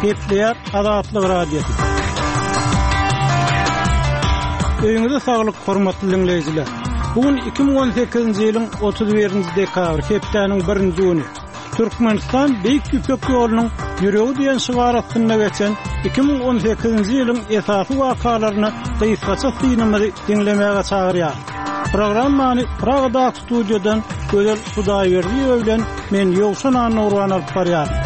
Gepleýär Azatlyk Radiosy. Öýüňize saglyk, hormatly diňleýjiler. Bu gün 2018-nji ýylyň 31-nji dekabry, hepdäniň birinji güni. Türkmenistan Beýik Ýüpek ýolunyň ýüregi diýen şygar astynda geçen 2018-nji ýylyň esasy wakalaryna gysgaça synymyzy diňlemäge çagyrýar. Programmany Pragadaky studiýadan Gözel Hudaýberdiýewa bilen men Ýowşan Annagurban alyp barýaryn.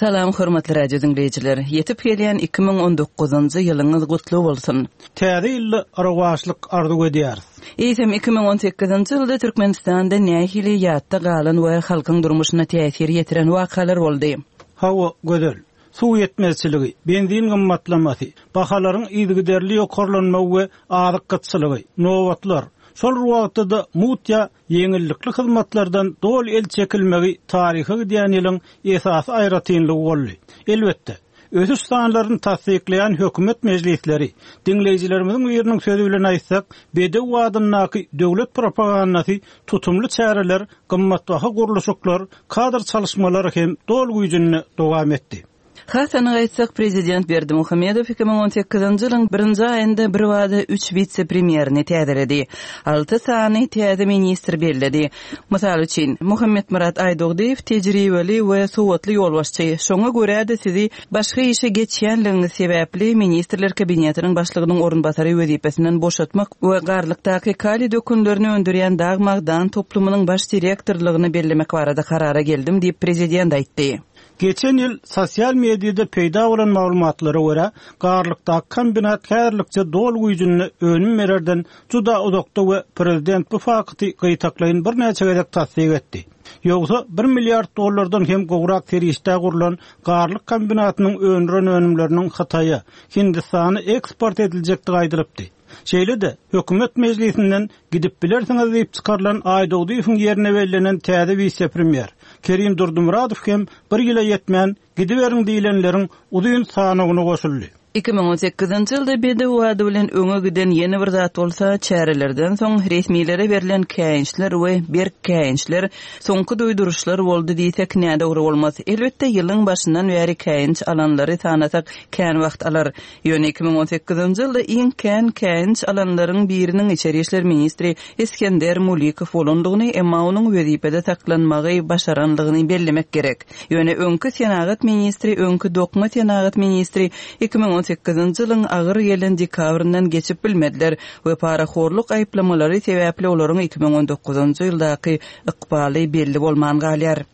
Salam hormatly radio diňleýjiler! Ýetip gelýän 2019-njy ýylyňyz gutly bolsun! Täze ýylda rowaçlyk arzuw edýäris. Eýsem, 2018-nji ýylda Türkmenistanda nähili ýatda galan we halkyň durmuşyna täsir ýetiren wakalar boldy? Hawa, Gözel. Suw ýetmezçiligi, benzin gymmatlamasy, bahalaryň yzygiderli ýokarlanmagy we azyk gytçylygy, nobatlar, şol bir wagtda-da mugt ýa ýeňillikli hyzmatlardan doly el çekilmegi taryha gidýän ýylyň esasy aýratynlygy boldy. Elbetde, ösüş sanlaryny tassyklaýan hökümet mejlisleri, diňleýjilerimiziň biriniň sözi bilen aýtsak, bedew adyndaky döwlet propagandasy tutumly çäreler gymmatbaha gurluşyklar, kadr çalyşmalary hem doly güýjünde dowam etdi. Has anyk aýtsak, prezident Berdimuhamedow 2018-nji ýylyň birinji aýynda birbada üç wise-premýerini täzeledi, alty sany täze ministr belledi. Mysal üçin, Muhammetmyrat Aýdogdyýew tejribeli we sowatly ýolbaşçy, şoňa görä-de sizi Başga işe geçýänligiňiz sebäpli Ministrler Kabinetiniň Başlygynyň orunbasary wezipesinden boşatmak we Garlykdaky kaliý dökünlerini öndürýän dag-magdan toplumynyň baş direktorlygyna bellemek barada karara geldim diýip, prezident aýtdy. Geçen ýyl sosial mediada peýda bolan maglumatlara görä, Garlykdaky kombinat häzirlikçe doly güýjünde önüm bererden juda uzakda we prezident bu fakty gytaklaýyn birnäçe gezek tassyk etdi. Ýogsa, bir milliard dollardan hem gowrak serişdä gurlan Garlyk kombinatynyň öndüren önümleriniň Hytaýa, Hindistana eksport ediljekdigi aýdylypdy. Şeýle-de, hökümet mejlisinden gidip bilersiňiz diýip çykarylan Aýdogdyýewiň ýerine bellenen täze wise-premýer Kerim Durdymyradow hem bir ýyla ýetmän gidiberiň diýlenleriň uzyn sanawyna goşuldy. 2018-nji ýylda bedew ady bilen öňe giden ýene bir zat bolsa, çärelerden soň resmilere berlen käýinçler we berk käýinçler, soňky duýduryşlar boldy diýsek nädogry bolmaz. Elbetde, ýylyň başyndan bäri käýinç alanlary sanasak kän wagt alar. Ýöne 2018-nji ýylda iň kän käýinç alanlaryň biriniň içeri işler ministri Isgender Mulikow bolandygyny, emma onuň wezipede saklanmagy başarandygyny bellemek gerek. Ýöne öňki senagat ministri, öňki dokma senagat ministri 2018-nji ýylyň agyr gelen dekabryndan geçip bilmediler we parahorluk aýyplamalary sebäpli olaryň 2019-njy ýyldaky ykbaly belli bolman galýar.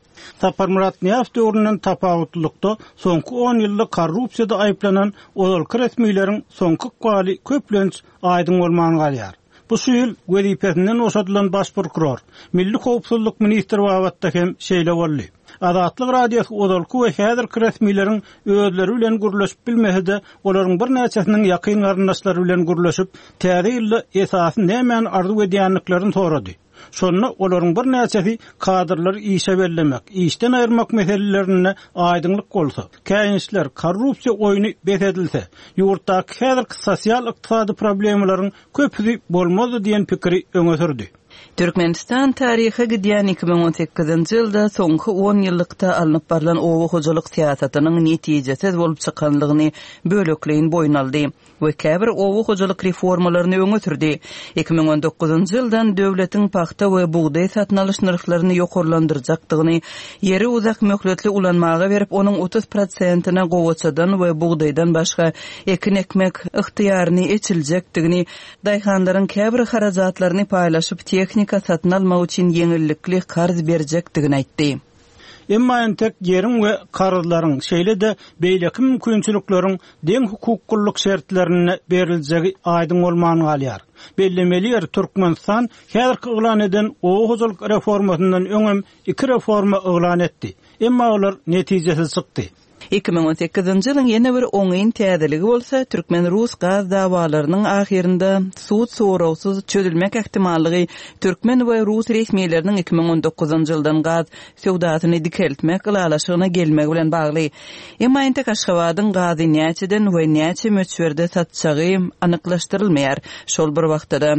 Saparmyrat Nyýazow döwründen tapawutlylykda, soňky on ýylda korrupsiýada aýyplanan ozalky resmileriň soňky ykbaly köplenç aýdyň bolman galýar. Bu şu ýyl wezipesinden boşadylan baş prokuror, milli howpsuzlyk ministri babatda hem şeýle boldy. Azatlyk Radiosy ozalky we häzirki resmileriň özleri bilen gürleşip bilmese-de, olaryň birnäçesiniň ýakyn garyndaşlary bilen gürleşip, täze ýylda esasy nämäni arzuw edýändiklerini sorady. Şonda olaryň birnäçesi kadrlary işe bellemek, işden aýyrmak meselelerinde aýdyňlyk bolsa, käýinçler, korrupsiýa oýny bes edilse, ýurtdaky häzirki sosial-ykdysady problemalaryň köpüsi bolmazdy diýen pikiri öňe sürdi. Türkmenistan taryha gidýän 2018-nji ýylda soňky on ýyllykda alnyp barlan oba hojalyk syýasatynyň netijesiz bolup çykanlygyny bölekleýin boýun aldy. we käbir oba hojalyk reformalaryny öňe sürdi. 2019-njy ýyldan döwletiň pagta we bugdaý satyn alyş nyrhlaryny ýokarlandyrjakdygyny, ýeri uzak möhletli ulanmaga berip, onuň 30 prosentine gowaçadan we bugdaýdan başga ekin ekmek ygtyýaryny eçiljekdigini, daýhanlaryň käbir harajatlaryny paýlaşyp tehnika satyn almak üçin ýeňillikli karz berjekdigini aýtdy. Emma entek ýeriň we karzlaryň, şeýle-de beýleki mümkinçilikleriň deň hukuklylyk şertlerinde beriljegi aýdyň bolman galýar. Bellemeli ýeri, Türkmenistan häzirki yglan eden oba hojalyk reformasyndan öňem iki reforma yglan etdi. Emma olar netijesiz çykdy. 2018-nji ýylyň ýene bir oňyn täzeligi bolsa, türkmen-rus gaz dawalarynyň ahyrynda sud soragsyz çözülmek ähtimallygy türkmen we rus resmileriniň 2019-njy ýyldan gaz söwdasyny dikeltmek ylalaşygyna gelmegi bilen bagly. Emma entek Aşgabadyň gazy näçeden we näçe möçberde satjagy anyklaşdyrylmaýar. Şol bir wagtda-da.